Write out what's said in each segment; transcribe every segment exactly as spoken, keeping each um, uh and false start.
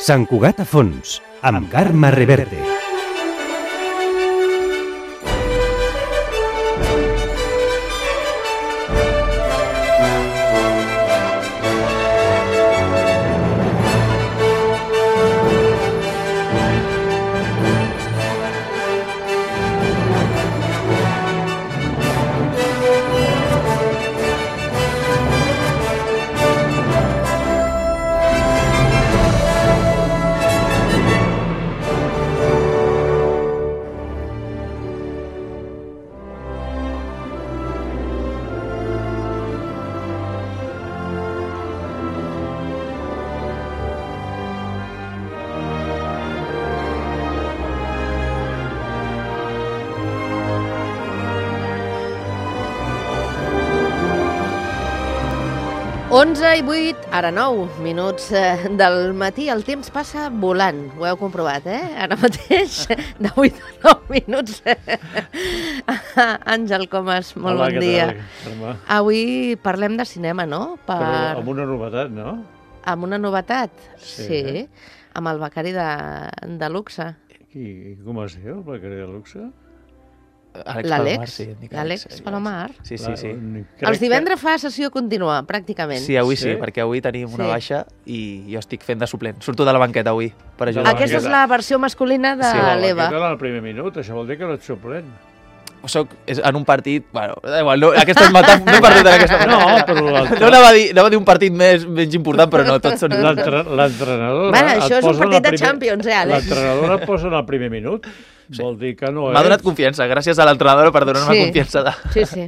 Sant Cugat a fons, amb Carme Reverte. onze i vuit, ara nou minuts del matí. El temps passa volant, ho heu comprovat, eh? Ara mateix, de vuit a nou minuts. Àngel Comas, molt Hola, bon dia. Tal, Avui parlem de cinema, no? Per... Però amb una novetat, no? Amb una novetat? Sí. Sí, amb el becari de, de luxe. I com es diu, el becari de luxe? L'Àlex, l'Àlex Palomar. Sí, sí, sí. Els divendres fa sessió contínua, pràcticament. Sí, avui sí, Sí? perquè avui tenim una Sí. baixa i jo estic fent de suplent. Surto de la banqueta avui per ajudar. Aquesta és la versió masculina de Sí, l'Eva. Aquesta era el primer minut, això vol dir que no ets suplent. Soc és en un partit... Bueno, igual, no, aquesta és metàfora, no he perdut en aquesta... No, però l'altre- No anava a dir, anava a dir un partit més, menys important, però no, tots són... L'entre- L'entrenadora... Bueno, et això és un posa en partit el de primer- Champions, eh, Àlex? L'entrenadora et posa en el primer minut. Sí. Vol dir que no M'ha és... donat confiança, gràcies a l'entrenadora per donar-me Sí. confiança. De... Sí, sí.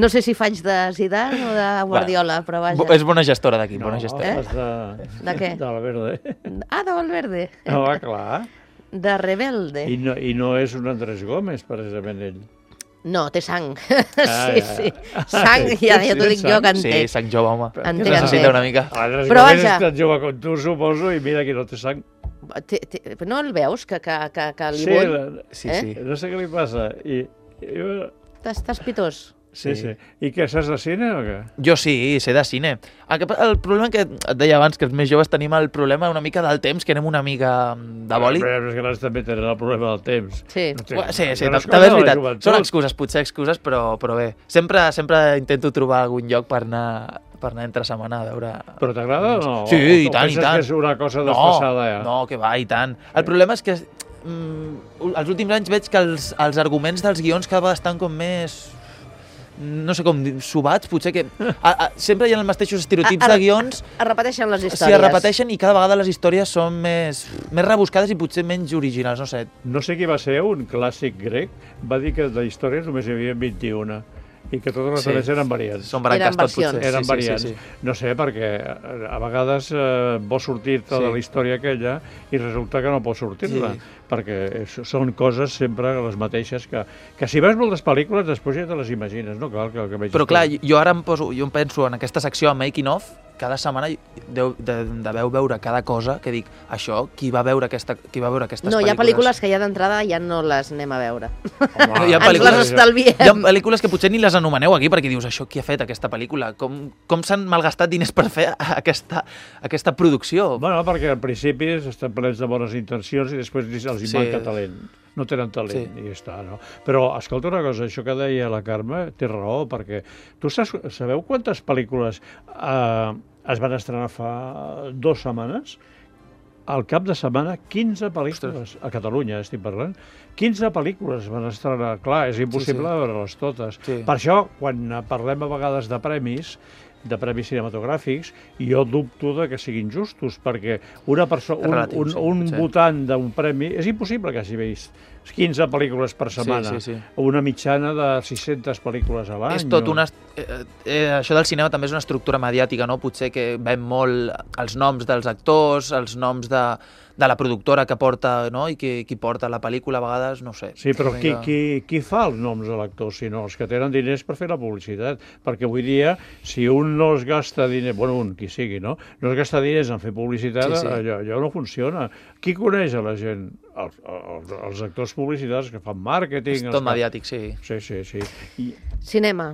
No sé si faig de Zidane o de Guardiola, però vaja. Bo- És bona gestora d'aquí, No, bona gestora. fas de... De què? De la verde. Ah, de Valverde. No, va, clar. De Rebelde. I no, I no és un Andrés Gómez, precisament, ell. No, té sang. Ah, Sí, ja. sí. Sang, ja, ja t'ho dic jo que en té. Sí, sang jove, home. En té, en Necessita té. una mica. Andrés Però Gómez vaja. és tan jove com tu, suposo, i mira que no té sang. Té, té, no el veus, que, que, que, que li Sí, vull? la- Sí, Eh? sí. no sé què li passa. I, i, Estàs, estàs pitós. sí, sí, Sí. I què, saps de cine o què? Jo sí, sé de cine. El, que, el problema que et deia abans, que els més joves tenim el problema una mica del temps, que anem una mica de boli. Però els grans també tenen el problema del temps. Sí. No té- Ua, Sí, sí, no és també és cosa de la veritat. joventut. Són excuses, potser excuses, però, però bé. Sempre, sempre intento trobar algun lloc per anar, per anar entre setmana a veure... Però t'agrada o no? Sí, o, i o tant, i penses tant. que és una cosa desfasada ja? No, que va, i tant. El problema és que mm, els últims anys veig que els, els arguments dels guions cada vegada estan com més... no sé com dir, subats, potser que... A, a, sempre hi ha els mateixos estereotips A- a- de guions, Es repeteixen les històries. si es repeteixen i cada vegada les històries són més, més rebuscades i potser menys originals, no sé. No sé qui va ser, un clàssic grec, va dir que de històries només hi havia vint-i-una i que totes les Sí. altres eren variants. Són branques Eren tot, versions. potser. Eren sí, variants. Sí, sí, sí. No sé, perquè eh, a vegades eh, vols sortir-te Sí. de la història aquella i resulta que no pots sortir-te, Sí. perquè és, són coses sempre les mateixes que, que si veus moltes pel·lícules després ja te les imagines, no cal que, que vegis Però clar, tot. jo ara em, poso, jo em penso en aquesta secció de Making Of, cada setmana deu, de, deveu veure cada cosa que dic, això, qui va veure, aquesta, qui va veure aquestes No, hi ha pel·lícules? pel·lícules que ja d'entrada ja no les anem a veure. Home, hi ha Ens pel·lícules- les estalviem. Hi ha pel·lícules que potser ni les anomeneu aquí perquè dius, això qui ha fet aquesta pel·lícula? Com, com s'han malgastat diners per fer aquesta, aquesta producció? Bueno, perquè al principi estan plens de bones intencions i després els hi Sí. manca talent. No tenen talent Sí. i ja està, no? Però, escolta una cosa, això que deia la Carme té raó, perquè tu saps, sabeu quantes pel·lícules eh, es van estrenar fa dues setmanes? Al cap de setmana, quinze pel·lícules, a Catalunya estic parlant, quinze pel·lícules es van estrenar. Clar, és impossible Sí, sí. veure-les totes. Sí. Per això, quan parlem a vegades de premis, de premis cinematogràfics, jo dubto de que siguin justos, perquè una persona, És un, relatiu, un, sí, un potser. votant d'un premi, és impossible que hagi vist quinze pel·lícules per setmana, Sí, sí, sí. una mitjana de sis-centes pel·lícules a l'any. És tot no? una... Eh, eh, això del cinema també és una estructura mediàtica, no? Potser que veiem molt els noms dels actors, els noms de, de la productora que porta, no? I qui, qui porta la pel·lícula, a vegades, no ho sé. Sí, però Una qui, mica- qui, qui fa els noms de l'actor, si no? Els que tenen diners per fer la publicitat. Perquè avui dia, si un no es gasta diners, bueno, un, qui sigui, no? No es gasta diners en fer publicitat, Sí, sí. Allò, allò no funciona. Qui coneix a la gent? Els, els, els actors publicitaris que fan màrqueting. És els tot que- mediàtic, sí. Sí, sí, sí. I Cinema.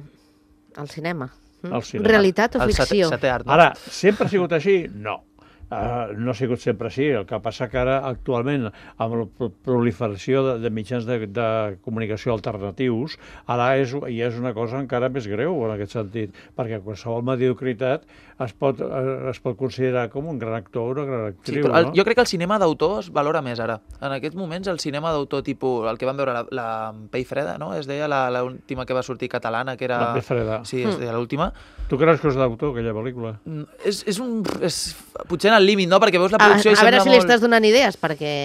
El cinema. Mm? El cinema. Realitat o El ficció? setè, setè art, no? ara, sempre ha sigut així? No. Uh, no ha sigut sempre així, el que passa que ara actualment amb la proliferació de, de mitjans de, de comunicació alternatius ara és, i és una cosa encara més greu en aquest sentit, perquè qualsevol mediocritat es pot, es pot considerar com un gran actor o una gran actriu. Sí, però el, no? Jo crec que el cinema d'autor es valora més ara. En aquests moments el cinema d'autor tipus, el que vam veure la, la Pell Freda, no? Es deia l'última que va sortir catalana, que era... La Pell Freda. Sí, es deia l'última. Tu creus que és d'autor, aquella pel·lícula? És, és un... És, potser en el límit, no? Perquè veus la A, producció a i sembla veure si molt... li estàs donant idees, perquè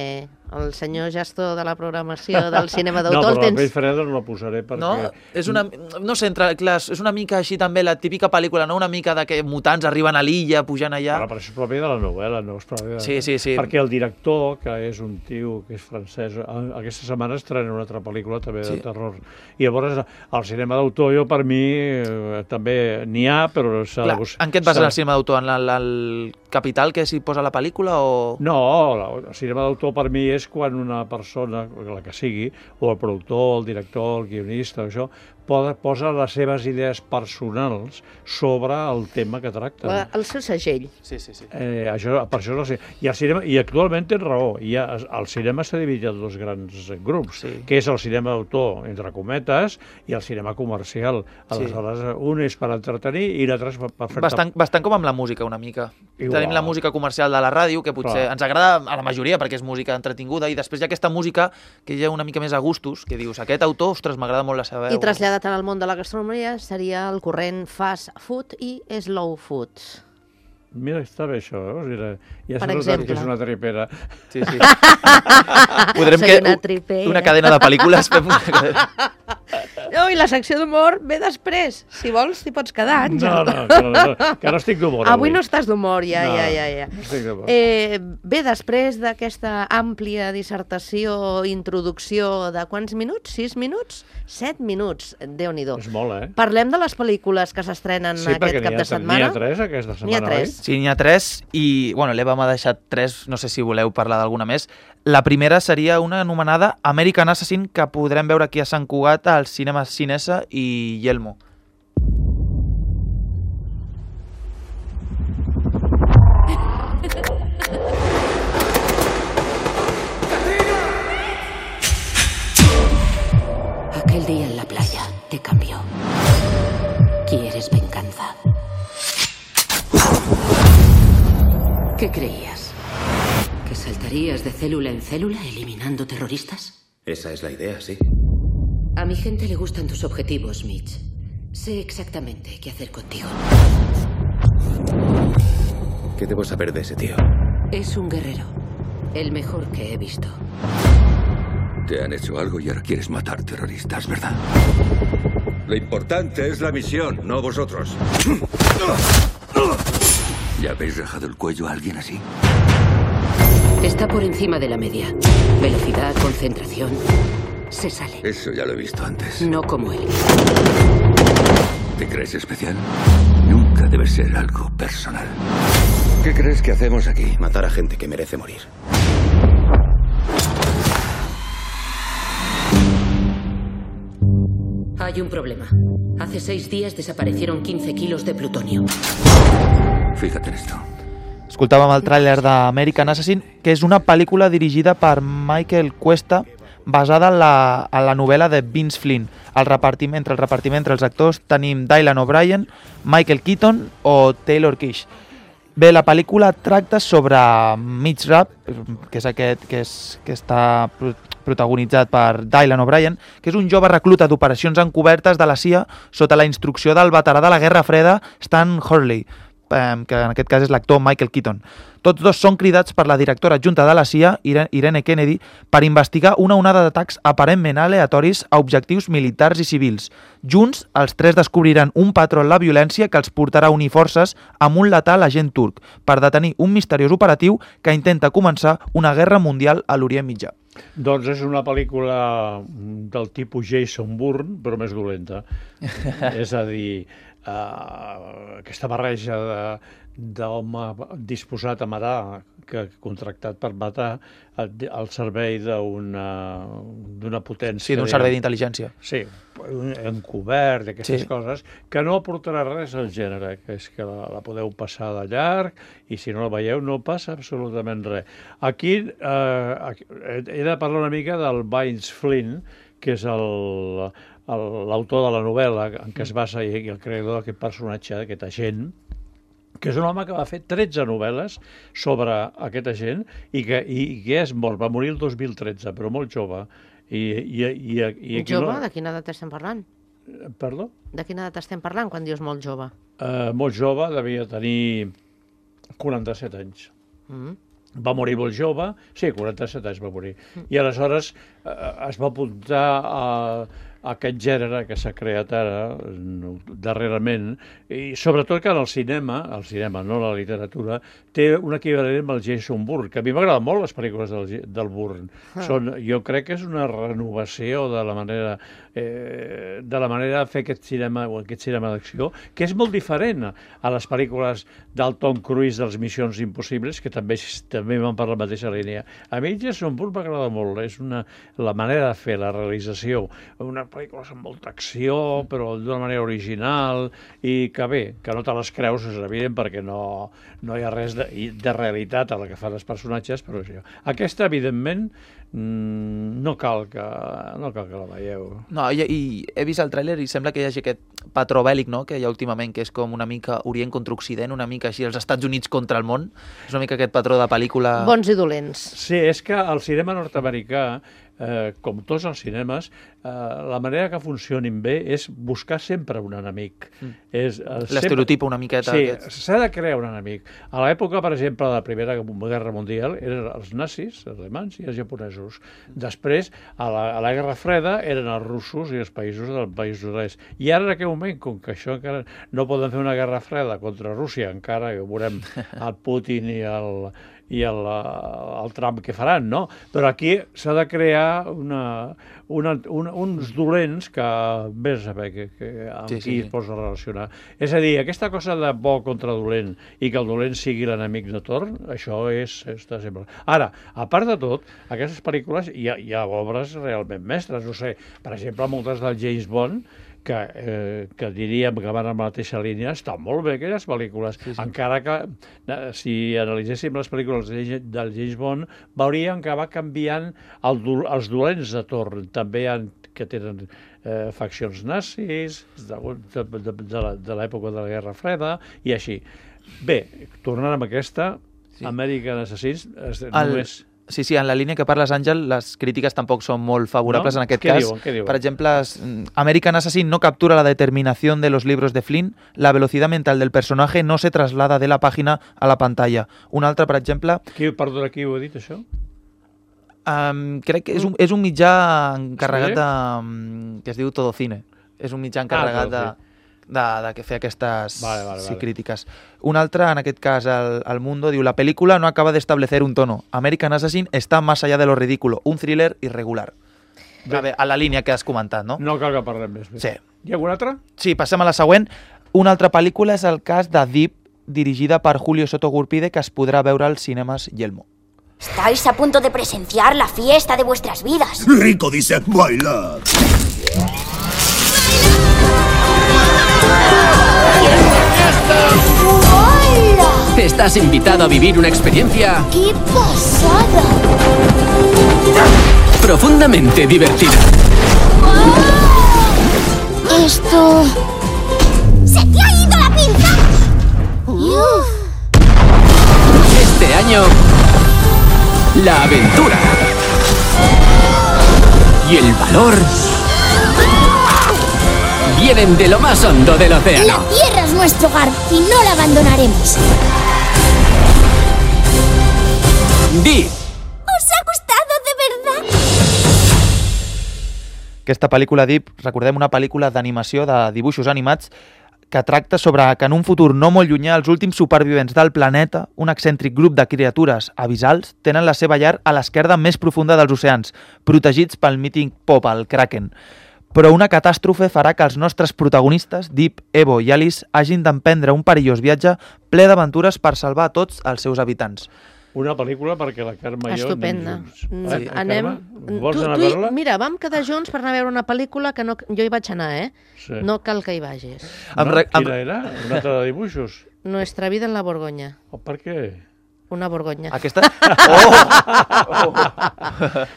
el senyor gestor de la programació del cinema No, d'autor però el la Pell tens... Freda no la posaré perquè... No? És una... No sé, entre, clar, és una mica així també la típica pel·lícula, no? Una mica de que mutants arriben a l'illa, pujant allà... Però, però això és propi de la novel·la, no és propi de... Sí, sí, sí. Perquè el director, que és un tio que és francès, aquesta setmana estrena una altra pel·lícula també de Sí. terror. I llavors el cinema d'autor, jo per mi eh, també n'hi ha, però s'ha de Clar, buscar. en què et bases en el cinema d'autor? En el, el capital que s'hi posa la pel·lícula o...? No, el cinema d'autor per mi és quan una persona, la que sigui, o el productor, el director, el guionista, això, posa les seves idees personals sobre el tema que tracta. El seu segell. Sí, sí, sí. Eh, això, per això no sé. I, el cinema, I actualment tens raó. Hi ha, el cinema s'ha dividit en dos grans grups, Sí. que és el cinema d'autor, entre cometes, i el cinema comercial. Aleshores, sí. un és per entretenir i l'altre és per, per fer-te... Bastant, bastant com amb la música, una mica. Igual. Tenim la música comercial de la ràdio, que potser Clar. ens agrada a la majoria perquè és música entretinguda, i després hi ha aquesta música que hi ha una mica més a gustos, que dius, aquest autor, ostres, m'agrada molt la seva veu. I traslladat en el món de la gastronomia seria el corrent fast food i slow food. Mira, està bé això, eh? Mira, ja Per s'ha notat exemple. que és una tripera. Sí, sí. Podrem Soy que una tripera. una cadena de pel·lícules fem una cadena. No, i la secció d'humor ve després. Si vols, t'hi pots quedar, No, Àngel. no, que no, que no estic d'humor Avui no estàs d'humor, ja, No, ja, ja, ja. no estic d'humor. Eh, bé, després d'aquesta àmplia dissertació, introducció de quants minuts? Sis minuts? Set minuts, Déu-n'hi-do. És molt, eh? Parlem de les pel·lícules que s'estrenen Sí, perquè aquest cap n'hi ha, de setmana. n'hi ha tres aquesta setmana, N'hi ha tres. Sí, n'hi ha tres, i bueno, l'Eva m'ha deixat tres, no sé si voleu parlar d'alguna més. La primera seria una anomenada American Assassin, que podrem veure aquí a Sant Cugat, als cinemes Cinesa i Yelmo. Aquel día en la playa te cambió. ¿Quieres venganza? ¿Qué creías? ¿Que saltarías de célula en célula eliminando terroristas? Esa es la idea, sí. A mi gente le gustan tus objetivos, Mitch. Sé exactamente qué hacer contigo. ¿Qué debo saber de ese tío? Es un guerrero. El mejor que he visto. Te han hecho algo y ahora quieres matar terroristas, ¿verdad? Lo importante es la misión, no vosotros. ¿Ya habéis rajado el cuello a alguien así? Está por encima de la media. Velocidad, concentración. Se sale. Eso ya lo he visto antes. No como él. ¿Te crees especial? Nunca debe ser algo personal. ¿Qué crees que hacemos aquí? Matar a gente que merece morir. Hay un problema. Hace seis días desaparecieron quince kilos de plutonio. Fíjate en esto. Escoltàvem el tràiler d'American Assassin, que és una pel·lícula dirigida per Michael Cuesta, basada en la, en la novel·la de Vince Flynn. El repartiment, entre el repartiment entre els actors tenim Dylan O'Brien, Michael Keaton o Taylor Kitsch. Bé, la pel·lícula tracta sobre Mitch Rapp, que és aquest que, és, que està protagonitzat per Dylan O'Brien, que és un jove recluta d'operacions encobertes de la C I A sota la instrucció del veterà de la Guerra Freda Stan Hurley, que en aquest cas és l'actor Michael Keaton. Tots dos són cridats per la directora adjunta de la C I A, Irene Kennedy, per investigar una onada d'atacs aparentment aleatoris a objectius militars i civils. Junts, els tres descobriran un patró en la violència que els portarà a unir forces amb un letal agent turc per detenir un misteriós operatiu que intenta començar una guerra mundial a l'Orient Mitjà. Doncs és una pel·lícula del tipus Jason Bourne, però més dolenta. És a dir, uh, aquesta barreja de, d'home disposat a matar, que contractat per matar al, al servei d'una potència. Sí, d'un servei d'intel·ligència. Sí, encobert, aquestes Sí. coses, que no aportarà res al gènere, que és que la, la podeu passar de llarg i si no la veieu no passa absolutament res. Aquí eh, he de parlar una mica del Vince Flynn, que és el- el- l'autor de la novel·la en què es basa i el creador d'aquest personatge, d'aquest agent, que és un home que va fer tretze novel·les sobre aquest agent i que, i, i que és mort, va morir el dos mil tretze, però molt jove. I, i, i, i aquí Jove? no- De quina edat estem parlant? Perdó? De quina edat estem parlant quan dius molt jove? Uh, molt jove, devia tenir quaranta-set anys. Mm. Va morir molt jove, sí, quaranta-set anys va morir. I aleshores eh, es va apuntar a, a aquest gènere que s'ha creat ara, no, darrerament, i sobretot que en el cinema, el cinema, no la literatura, té un equivalent amb el Jason Bourne, que a mi m'agraden molt les pel·lícules del, del Bourne. Ah. Són, jo crec que és una renovació de la manera eh, de la manera de fer aquest cinema, o aquest cinema d'acció, que és molt diferent a les pel·lícules del Tom Cruise dels Missions Impossibles, que també, també van per la mateixa línia. A mi Jason Bourne m'agrada molt, és una, la manera de fer, la realització, una pel·lícula amb molta acció, però d'una manera original, i que bé, que no te les creus, és evident, perquè no, no hi ha res de, de realitat a la que fan els personatges, però això. Aquesta, evidentment, mm, no cal que, no cal que la veieu. No, i, i he vist el tràiler i sembla que hi hagi aquest patró bèl·lic, no?, que hi ha últimament, que és com una mica Orient contra Occident, una mica així, els Estats Units contra el món. És una mica aquest patró de pel·lícula... Bons i dolents. Sí, és que el cinema nord-americà, eh, com tots els cinemes, eh, la manera que funcionin bé és buscar sempre un enemic. Mm. És, eh, L'estereotipa una miqueta. Sí, aquest. s'ha de crear un enemic. A l'època, per exemple, de la Primera Guerra Mundial, eren els nazis, els alemans i els japonesos. Després, a la, a la Guerra Freda, eren els russos i els països del país oest. I ara, en aquest moment, com que això encara no poden fer una guerra freda contra Rússia, encara que veurem el Putin i el, i el, el Trump que faran, no? Però aquí s'ha de crear una, una, una, uns dolents que vés a saber que, que, amb Sí, sí, sí, qui sí. es posa a relacionar. És a dir, aquesta cosa de bo contra dolent i que el dolent sigui l'enemic de torn, això és, està sempre... Ara, a part de tot, aquestes pel·lícules hi ha, hi ha obres realment mestres, no sé, per exemple, moltes del James Bond, que, eh, que diríem que van en la mateixa línia, estan molt bé aquelles pel·lícules, sí, sí. Encara que eh, si analitzéssim les pel·lícules de, del James Bond, veuríem que va canviant el, els dolents de torn, també hi ha que tenen eh, faccions nazis de, de, de, de, de l'època de la Guerra Freda i així. Bé, tornant amb aquesta, sí. American Assassins, es, El... només... Sí, sí, en la línia que parles, Àngel, les crítiques tampoc són molt favorables ¿No? en aquest ¿Qué cas. diuen? ¿Qué diuen? Per exemple, es- American Assassin no captura la determinación de los libros de Flynn, la velocidad mental del personaje no se traslada de la página a la pantalla. Un altre, per exemple, Qui, perdona, qui ho ha dit, això? um, crec que és un, és un mitjà encarregat Sí? de... um, que es diu Todo Cine. És un mitjà encarregat Todo de, de, de que fer aquestes Vale, vale, sí, vale. crítiques. Un altre, en aquest cas, el, el Mundo, diu: la película no acaba de establecer un tono. American Assassin está más allá de lo ridículo. Un thriller irregular. A, veure, a la línia que has comentat, no? No cal que parlem més. Sí. Hi ha alguna altra? Sí, passem a la següent. Una altra pel·lícula és el cas de Deep, dirigida per Julio Soto Gurpide, que es podrà veure als cinemes Yelmo. Estáis a punto de presenciar la fiesta de vuestras vidas. Rico dice bailar. ¡Hola! Estás invitado a vivir una experiencia ¡Qué pasada! profundamente divertida. Esto... ¡Se te ha ido la pinza! Uf. Este año, la aventura y el valor vienen de lo más hondo del La océano. tierra es nuestro hogar y no la abandonaremos. Di, ¿Os ha gustado de verdad? Aquesta pel·lícula Deep, recordem, una pel·lícula d'animació de dibuixos animats que tracta sobre que en un futur no molt llunyà els últims supervivents del planeta, un excèntric grup de criatures abissals, tenen la seva llar a l'esquerda més profunda dels oceans, protegits pel mític Popal, el Kraken. però una catàstrofe farà que els nostres protagonistes, Deep, Evo i Alice, hagin d'emprendre un perillós viatge ple d'aventures per salvar tots els seus habitants. Una pel·lícula perquè la Carme i jo Estupenda. anem junts. Mm, Eh, anem... Carme, vols Tu- anar a tu i- veure-la? Mira, vam quedar junts per anar a veure una pel·lícula que no... jo hi vaig anar, eh? Sí. No cal que hi vagis. Em No? re- em- Quina era? Una altra de dibuixos? Nuestra vida en la Borgoña. Oh, per què? Una Borgoña. Aquesta... Oh! Oh!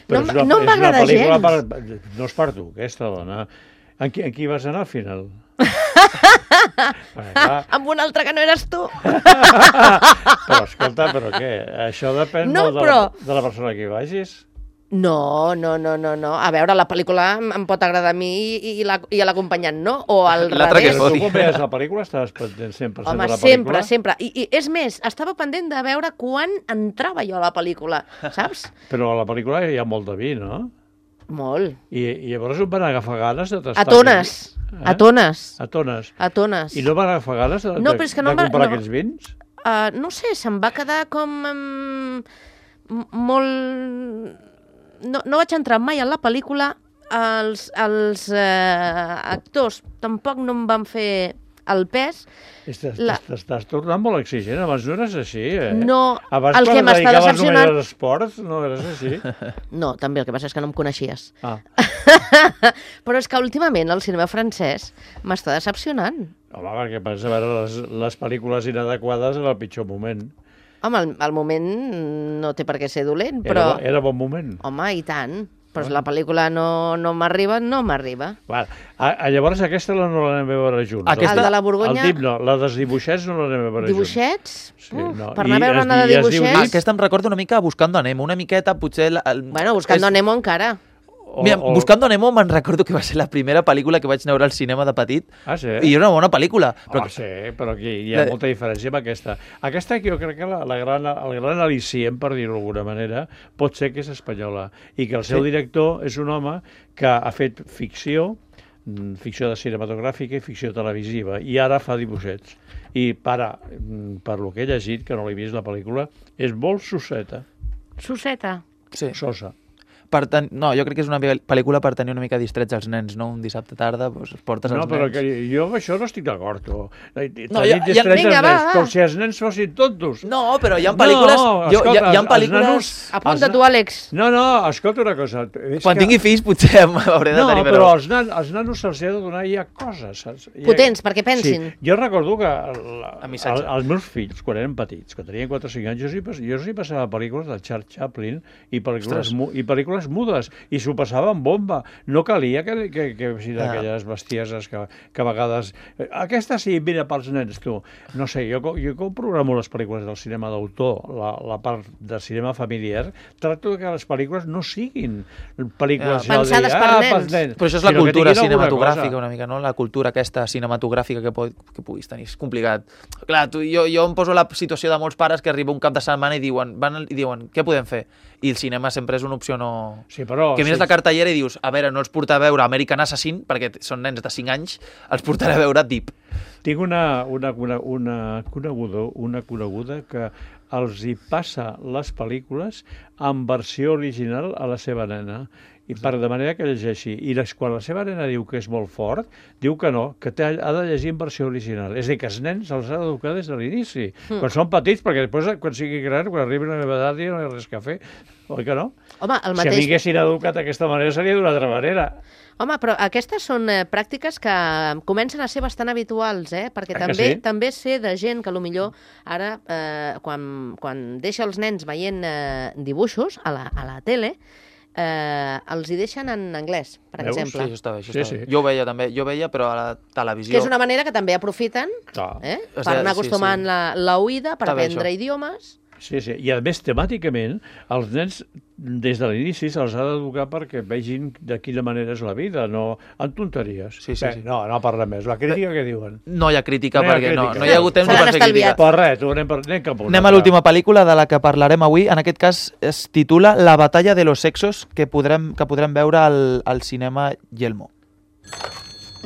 No, és una, no és una m'agrada pel·lícula gens. Per, no és per tu, aquesta dona. En qui, en qui vas anar al final? Vinga, Amb un altre que no eres tu. però escolta, però què? Això depèn No, molt de, però- la, de la persona que hi vagis. No, no, no, no, no. A veure, la pel·lícula em em pot agradar a mi i, i la- i a l'acompanyant, no? O al L'altre que revés. es Però foti. tu quan veies la pel·lícula estaves pendent cent per cent Home, de la sempre, pel·lícula? sempre. I, I és més, estava pendent de veure quan entrava jo a la pel·lícula, saps? Però a la pel·lícula hi ha molt de vi, no? Molt. I, i llavors em van agafar ganes de tastar... A tones, aquell- a tones, A tones. a tones. I no van agafar ganes de, No, de, però és que no de em va- comprar no. aquells vins? Uh, no sé, se'm va quedar com... Um, molt... No, no vaig entrar mai en la pel·lícula, els, els uh, actors tampoc no em van fer el pes. Estàs, La- T'estàs tornant molt exigent, abans no eres així, eh? No, Abans el que quan et m'està dedicaves decepcionant- només als esports, no eres així. No, també, el que passa és que no em coneixies. Ah, Però és que últimament el cinema francès m'està decepcionant. home, perquè pensa veure les, les pel·lícules inadequades en el pitjor moment. Home, el, el moment no té per què ser dolent, Era, però... bo- era bon moment. Home, i tant. Però si la pel·lícula no, no m'arriba, no m'arriba. Va, a, a, llavors aquesta la no l'anem a veure junts. Aquesta- El de la Borgonya- El tip no, la dels dibuixets no l'anem a veure junts. Dibuixets? Sí, Uf, no. per anar I a veure es una de di- i es diu dibuixets... Dick. Aquesta em recorda una mica a Buscando a Nemo, una miqueta, potser... La, el, Bueno, Buscando és- Nemo encara. O, Mira, o... Buscando a Nemo me'n recordo que va ser la primera pel·lícula que vaig anar a veure al cinema de petit. Ah, sí? I era una bona pel·lícula. Però... Però... Oh, sí, però aquí hi ha La- molta diferència amb aquesta. Aquesta que jo crec que la, la gran, el gran al·licient, per dir-ho d'alguna manera, pot ser que és espanyola i que el seu Sí. director és un home que ha fet ficció, mm, ficció de cinematogràfica i ficció televisiva, i ara fa dibuixets. I para, mm, per lo que he llegit, que no l'he vist la pel·lícula, és molt sosseta, Susseta. Sí. sosa. Per ten... No, jo crec que és una pel·lícula per tenir una mica distrets els nens, no? Un dissabte tarda, doncs, portes No, els però nens. que jo amb això no estic d'acord. tu. No, Tenir ja- ja- distrets vinga, els va, nens, va. Com si els nens fossin tontos. No, però hi ha pel·lícules... No, jo, hi, ha, escolta, hi ha els pel·lícules... nanos- Apunta Els tu, Àlex. No, no, escolta una cosa. És Quan que... tingui fills potser hauré de No, tenir... però als, nan, als nanos se'ls ha de donar ja coses, saps? Ja... Potents, perquè pensin. Sí. Jo recordo que la, A missatge. el, els meus fills, quan eren petits, quan tenien quatre o cinc anys, jo sí, pas- jo sí passava pel·lícules del Charles Chaplin i pel·lícules, Ostres. mu, i pel·lícules mudes, i s'ho passaven bomba. No calia que, que, que fossin Ah. aquelles bestieses que, que a vegades... Aquesta sí, mira, pels nens, tu. No sé, jo, co- jo com programo les pel·lícules del cinema d'autor, la, la part de cinema familiar, tracto que les pel·lícules no siguin pel·lícules... Ja. ja de Pensades dir, per "Ah, nens". pels nens", Però això és la sinó que cultura tinguin alguna cinematogràfica, cosa. una mica, no? La cultura aquesta cinematogràfica que, po que puguis tenir. És complicat. Clar, tu, jo, jo em poso la situació de molts pares que arriba un cap de setmana i diuen, van, i diuen què podem fer? I el cinema sempre és una opció no... Sí, però... Que mires sí, la cartellera i dius, a veure, no els porta a veure American Assassin, perquè són nens de cinc anys, els portaré a veure Deep. Tinc una, una, una, una, coneguda, una coneguda que els hi passa les pel·lícules en versió original a la seva nena, i per de manera que llegeixi. I les, quan la seva nena diu que és molt fort, diu que no, que té, ha de llegir en versió original. És a dir, que els nens els ha d'educar des de l'inici, mm. quan són petits, perquè després, quan sigui gran, quan arribi a la meva edat, ja no hi ha res a fer. Oi que no? Home, el Si a mi mateix... haguessin educat d'aquesta manera, seria d'una altra manera. Home, però aquestes són eh, pràctiques que comencen a ser bastant habituals, eh? Perquè Ah, que també sí? també sé de gent que potser ara, eh, quan, quan deixa els nens veient eh, dibuixos a la, a la tele, eh, els hi deixen en anglès, per Veus? Sí, exemple. això està bé, això Sí, està sí. bé. Jo ho veia també, jo ho veia, però a la televisió... Que és una manera que també aprofiten Clar. eh? O per sigui, anar sí, acostumant sí. la, la oïda, per Està bé, aprendre això. idiomes. Sí, sí. I a més, temàticament, els nens des de l'inici se'ls ha d'educar perquè vegin de quina manera és la vida, no en tonteries. Sí, sí, Bé, sí. No, no parlem més. La crítica què diuen? No hi ha crítica, No hi ha perquè no, crítica. no hi ha hagut temps Se de l'han per fer estalviat. crítica. Per res, tu anem, per, anem cap a una Anem a altra. l'última pel·lícula de la que parlarem avui. En aquest cas es titula La batalla de los sexos, que podrem, que podrem veure al, al cinema Yelmo.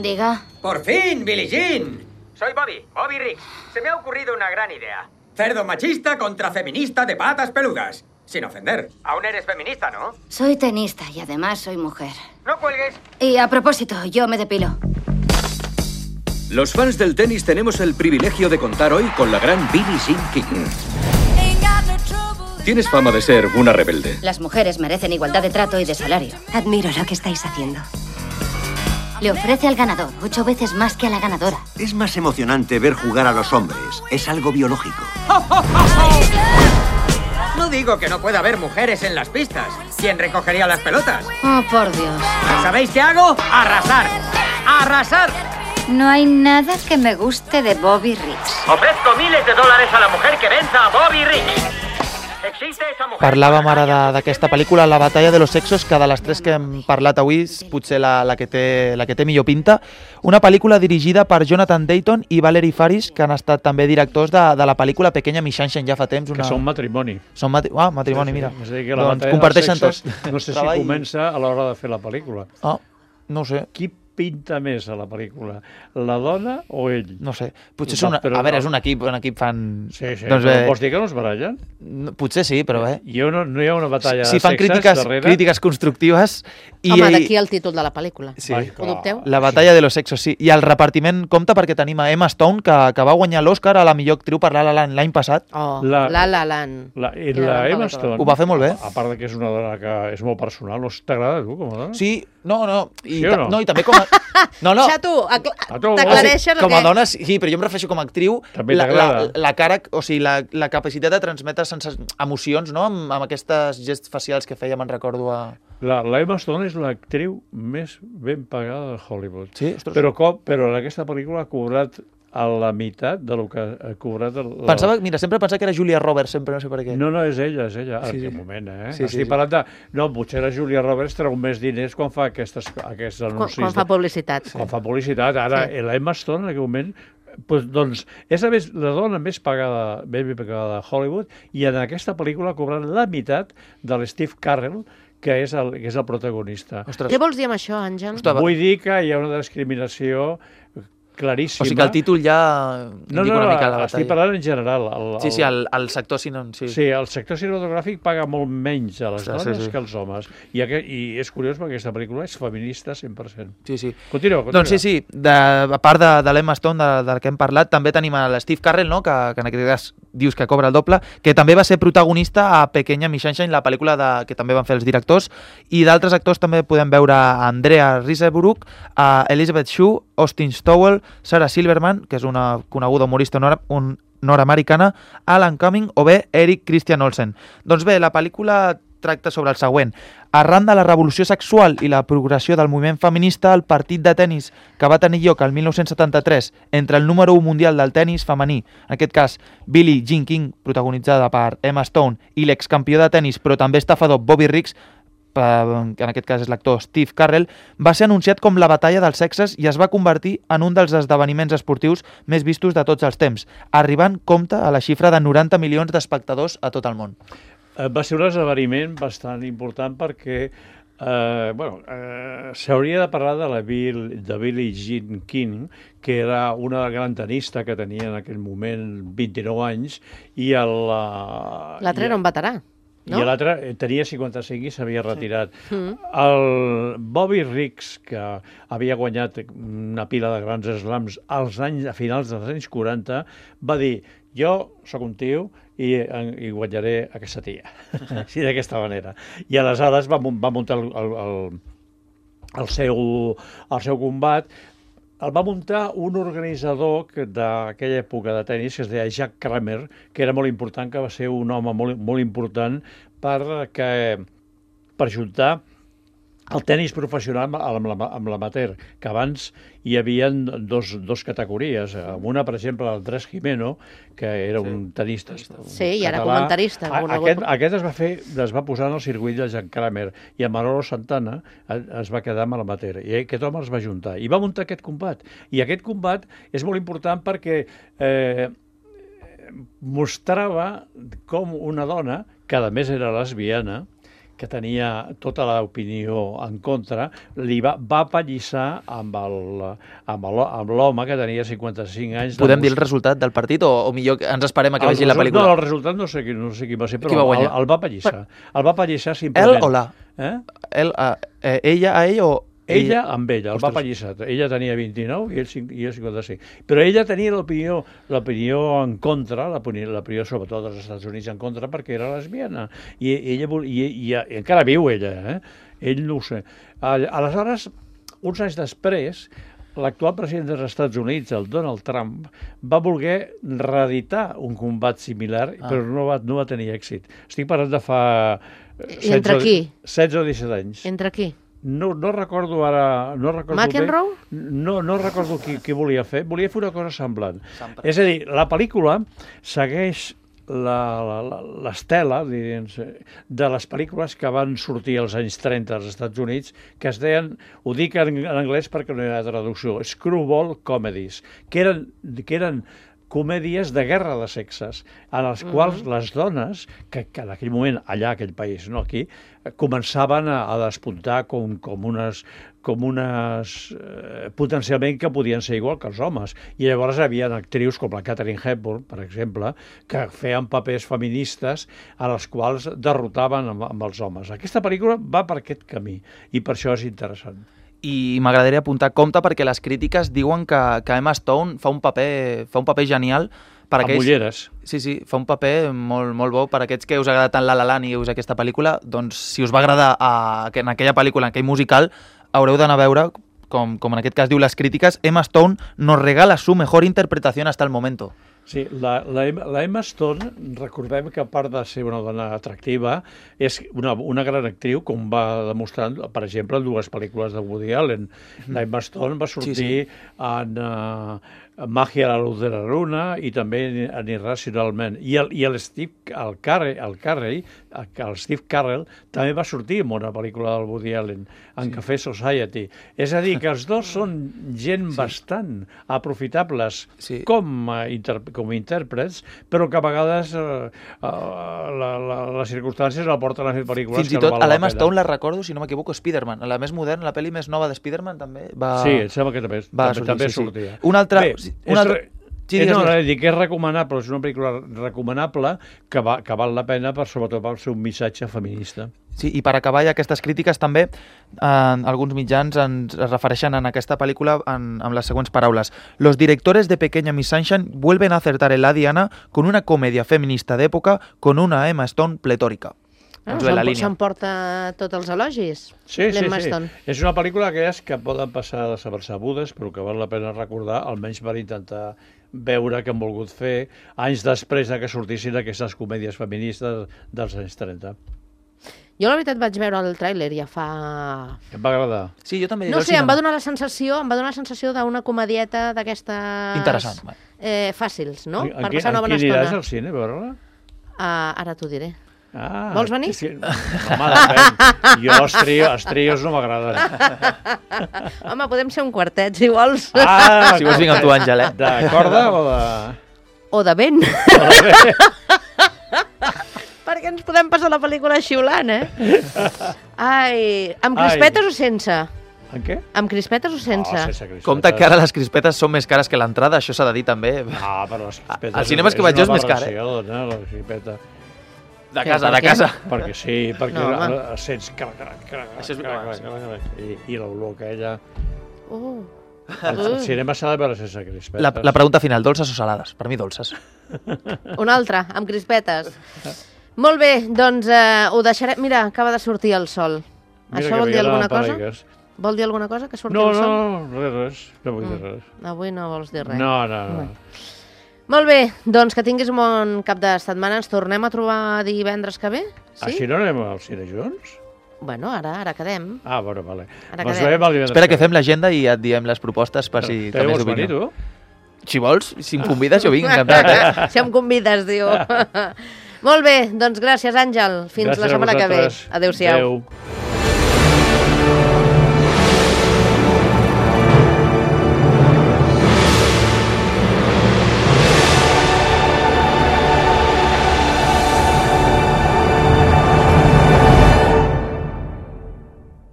Diga. ¡Por fin, Billie Jean! Soy Bobby, Bobby Riggs. Se me ha ocurrido una gran idea. Cerdo machista contra feminista de patas peludas. Sin ofender. Aún eres feminista, ¿no? Soy tenista y además soy mujer. No cuelgues. Y a propósito, yo me depilo. Los fans del tenis tenemos el privilegio de contar hoy con la gran Billie Jean King. Tienes fama de ser una rebelde. Las mujeres merecen igualdad de trato y de salario. Admiro lo que estáis haciendo. Le ofrece al ganador ocho veces más que a la ganadora. Es más emocionante ver jugar a los hombres. Es algo biológico. No digo que no pueda haber mujeres en las pistas. ¿Quién recogería las pelotas? Oh, por Dios. ¿Sabéis qué hago? ¡Arrasar! ¡Arrasar! No hay nada que me guste de Bobby Riggs. Ofrezco miles de dólares a la mujer que venza a Bobby Riggs. Existe esa mujer... Parlàvem ara de- d'aquesta pel·lícula, La batalla de los sexos, que de les tres que hem parlat avui és potser la, la, que té, la que té millor pinta. Una pel·lícula dirigida per Jonathan Dayton i Valerie Faris, que han estat també directors de, de la pel·lícula Pequeña Miss Sunshine ja fa temps. Una... Que són matrimoni. Són mati... Ah, matrimoni, Sí, sí. mira. És a dir, que la Doncs batalla dels comparteixen sexos, tots. no sé si treball. comença a l'hora de fer la pel·lícula. Ah, no ho sé. Qui pinta més a la pel·lícula? La dona o ell? No sé. Potser No, són... però A veure, no. és un equip, un equip fan... Sí, sí, Doncs però bé, vols dir que no es barallen? no, potser sí, però bé. Hi ha una, no hi ha una batalla Si de fan sexes crítiques, darrere? crítiques constructives... I, Home, d'aquí el títol de la pel·lícula. Sí. Ai, Ho dubteu? La batalla de los sexos, sí. I el repartiment compta perquè tenim a Emma Stone, que, que va guanyar l'Oscar a la millor actriu per La La Land l'any passat. Oh, La- La La Land. La, i Quina la gran Emma pel·lícula. Stone... Ho va fer molt bé. A part de que és una dona que és molt personal, no t'agrada a tu com a dona? Sí, no, no. I, Sí o ta- no? no, i també com a... No, no. Xato, acla- A tu, t'aclareixes com o a què? dona, sí, però jo em refereixo com a actriu, També la, la, t'agrada. la cara, o sigui, la, la capacitat de transmetre sense emocions, no?, amb, amb aquestes gests facials que feia, me'n recordo a... La, la Emma Stone és l'actriu més ben pagada de Hollywood. Sí, ostres. Però, com, però en aquesta pel·lícula ha cobrat a la meitat de lo que ha cobrat... El, la... Pensava, mira, sempre pensava que era Julia Roberts, sempre, no sé per què. No, no, és ella, és ella. Sí, Sí, sí. Un moment, eh? Sí, sí, Estic sí. parlant de... No, potser la Julia Roberts treu més diners quan fa aquestes, aquests Quan, anuncis. quan fa publicitat. Quan fa publicitat. Ara, Sí. sí. la Emma Stone, en aquell moment, pues, doncs, és la, més, la dona més pagada, ben pagada de Hollywood, i en aquesta pel·lícula ha cobrat la meitat de l'Steve Carell, que és el, que és el protagonista. Ostres. Què vols dir amb això, Àngel? Ostres, Vull dir que hi ha una discriminació claríssima. o sigui que el títol ja No, indica no, una mica la no, estic batalla. parlant en general. El, Sí, sí, el, el sector cine... Sí. Sí, el sector cinematogràfic paga molt menys a les Ostres, dones sí, sí. que als homes. I, aquest, I és curiós perquè aquesta pel·lícula és feminista cent per cent. Sí, sí. Continua, continua. Doncs sí, sí, de, a part de, de l'Emma Stone, de, del que hem parlat, també tenim a l'Steve Carell, no?, que, que en aquest cas dius que cobra el doble, que també va ser protagonista a Pequeña Miss Sunshine, la pel·lícula de, que també van fer els directors, i d'altres actors també podem veure a Andrea Riseborough, a Elizabeth Shue, Austin Stowell, Sarah Silverman, que és una coneguda humorista nord un, nord-americana, Alan Cumming o bé Eric Christian Olsen. Doncs bé, la pel·lícula tracta sobre el següent. Arran de la revolució sexual i la progressió del moviment feminista, el partit de tennis que va tenir lloc el mil nou-cents setanta-tres entre el número u mundial del tennis femení, en aquest cas Billie Jean King, protagonitzada per Emma Stone, i l'excampió de tennis, però també estafador Bobby Riggs, que en aquest cas és l'actor Steve Carell, va ser anunciat com la batalla dels sexes i es va convertir en un dels esdeveniments esportius més vistos de tots els temps, arribant compte a la xifra de noranta milions d'espectadors a tot el món. Eh, Va ser un esdeveniment bastant important perquè eh, bueno, eh, s'hauria de parlar de la Bill, de Billie Jean King, que era una gran tenista que tenia en aquell moment vint-i-nou anys, i el... eh, L'altre i- era un veterà, no? I l'altre eh, tenia cinquanta-cinc i s'havia retirat. Mm. El Bobby Riggs, que havia guanyat una pila de grans slams als anys, a finals dels anys quaranta, va dir, jo sóc un tio i, i guanyaré aquesta tia. Així d'aquesta manera. I aleshores va, mun- va muntar el, el, el, el, seu, el seu combat. El va muntar un organitzador que d'aquella època de tennis que es deia Jack Kramer, que era molt important, que va ser un home molt, molt important per, que, per juntar el tennis professional amb la- amb l'amateur, que abans hi havia dos, dos categories. Amb una, per exemple, Andrés Jimeno, que era sí. un tenista Sí, i ara català. comentarista. A, conegut. aquest, aquest es va fer, es va posar en el circuit de Jack Kramer, i a Manolo Santana es va quedar amb l'amateur, i aquest home es va juntar i va muntar aquest combat. I aquest combat és molt important perquè eh, mostrava com una dona, que a més era lesbiana, que tenia tota l'opinió en contra, li va, va pallissar amb l'home que tenia cinquanta-cinc anys. Podem dir el resultat del partit o, o millor que ens esperem a que el vegi la pel·lícula? No, el resultat no sé qui, no sé qui va ser, però va el, el va pallissar. Per... El va pallissar simplement. El o la? Eh? El, a, eh, ella a ell o... Ella amb ella, el va pallissar. Ella tenia vint-i-nou i ell, i ell cinquanta-cinc. Però ella tenia l'opinió l'opinió en contra, l'opinió sobretot dels Estats Units en contra, perquè era lesbiana. I, ella, i, i, i encara viu ella, eh? Ell no ho sé. Aleshores, uns anys després, l'actual president dels Estats Units, el Donald Trump, va voler reeditar un combat similar, ah. però no va, no va tenir èxit. Estic parlant de fa... I entre qui? setze o disset anys. Entre qui? No, no recordo ara... No recordo McEnroe? Bé, no, no recordo qui, qui volia fer. Volia fer una cosa semblant. Sempre. És a dir, la pel·lícula segueix l'estela de les pel·lícules que van sortir als anys trenta als Estats Units, que es deien, ho dic en, en anglès perquè no hi ha traducció, screwball comedies, que eren, que eren comèdies de guerra de sexes, en les quals uh -huh. les dones, que, que en aquell moment, allà, aquell país, no aquí, començaven a, a despuntar com, com unes, com unes eh, potencialment que podien ser igual que els homes. I llavors hi havia actrius com la Katharine Hepburn, per exemple, que feien papers feministes a les quals derrotaven amb, amb els homes. Aquesta pel·lícula va per aquest camí i per això és interessant. I m'agradaria apuntar compte perquè les crítiques diuen que, que Emma Stone fa un paper, fa un paper genial per amb aquells... ulleres. Sí, sí, fa un paper molt, molt bo per aquests que us agrada tant La La Land i us aquesta pel·lícula, doncs si us va agradar a, en aquella pel·lícula, en aquell musical, haureu d'anar a veure, com, com en aquest cas diu les crítiques, Emma Stone nos regala su mejor interpretación hasta el momento. Sí, la, la, la Emma Stone, recordem que a part de ser una dona atractiva, és una, una gran actriu, com va demostrant, per exemple, en dues pel·lícules de Woody Allen. La Emma Stone va sortir sí, sí. en uh, Màgia a la luz de la luna i també en Irracionalment. I el, i el Steve el Carell, el, Carrey, el, el Steve Carell també va sortir en una pel·lícula del Woody Allen, en sí. Café Society. És a dir, que els dos són gent sí. bastant aprofitables sí. com a interpretació, com a intèrprets, però que a vegades eh, la, la, les circumstàncies la porten a fer pel·lícules fins i tot, que no val a l'Emma Stone la recordo, si no m'equivoco, Spider-Man. La més moderna, la pel·li més nova de Spider-Man també va... Sí, em sembla que també, va també, sortir, també sí, sortia. Sí. Un altre... Bé, un altre... és... Sí, eh, no, no, dic que és recomanable, és una pel·lícula recomanable que, va, que val la pena, per, sobretot per ser un missatge feminista. Sí, i per acabar ja aquestes crítiques també, eh, alguns mitjans ens es refereixen en aquesta pel·lícula en, amb les següents paraules. Los directores de Pequeña Miss Sunshine vuelven a acertar en la diana con una comedia feminista d'època con una Emma Stone pletórica. Ah, s'emporta tots els elogis, sí, sí, sí. És una pel·lícula que és que poden passar desapercebudes, però que val la pena recordar, almenys per intentar veure què han volgut fer anys després de que sortissin aquestes comèdies feministes dels anys trenta. Jo la veritat vaig veure el tràiler ja fa... Em va agradar. Sí, jo també. No sé, em va donar la sensació, em va donar la sensació d'una comedieta d'aquestes... Interessant. Eh, fàcils, no? En, per passar una bona estona. En qui aniràs al cine a veure-la? Uh, ara t'ho diré. Ah, vols venir? Sí, home, depèn. Jo els trios, els trios no m'agraden. Home, podem ser un quartet, si vols. Ah, si vols vinc amb tu, Àngel, eh? De corda o de... O de vent. O de vent. Perquè ens podem passar la pel·lícula xiulant, eh? Ai, amb crispetes Ai. o sense? En què? Amb crispetes o sense? Oh, sense crispetes. Compte que ara les crispetes són més cares que l'entrada, això s'ha de dir també. Ah, però les crispetes... Al cinema és que vaig jo és més car, eh? No, la crispeta. De casa, de casa. Perquè sí, perquè no, sents... Crac, crac, crac, això és crac, crac, crac, i, i l'olor aquella... Uh. Al cinema s'ha de veure sense crispetes. La, la pregunta final, dolces o salades? Per mi dolces. Una altra, amb crispetes. Molt bé, doncs eh, ho deixarem... Mira, acaba de sortir el sol. Mira Això vol dir alguna cosa? Parigues. Vol dir alguna cosa, que surti no, el sol? No, no, res, res. No vull dir mm. res. Avui no vols dir res. No, no, no. no. Molt bé, doncs que tinguis un bon cap de setmana. Ens tornem a trobar divendres que ve? Sí? Així no anem al cine junts? Bueno, ara ara quedem. Ah, bueno, vale. Ara quedem. Espera que fem l'agenda i et diem les propostes per si també és venir, tu? Si vols, si em convides jo vinc. Eh? Si em convides, diu. Molt bé, doncs gràcies, Àngel. Fins gràcies la setmana que ve. Adéu-siau. Adéu.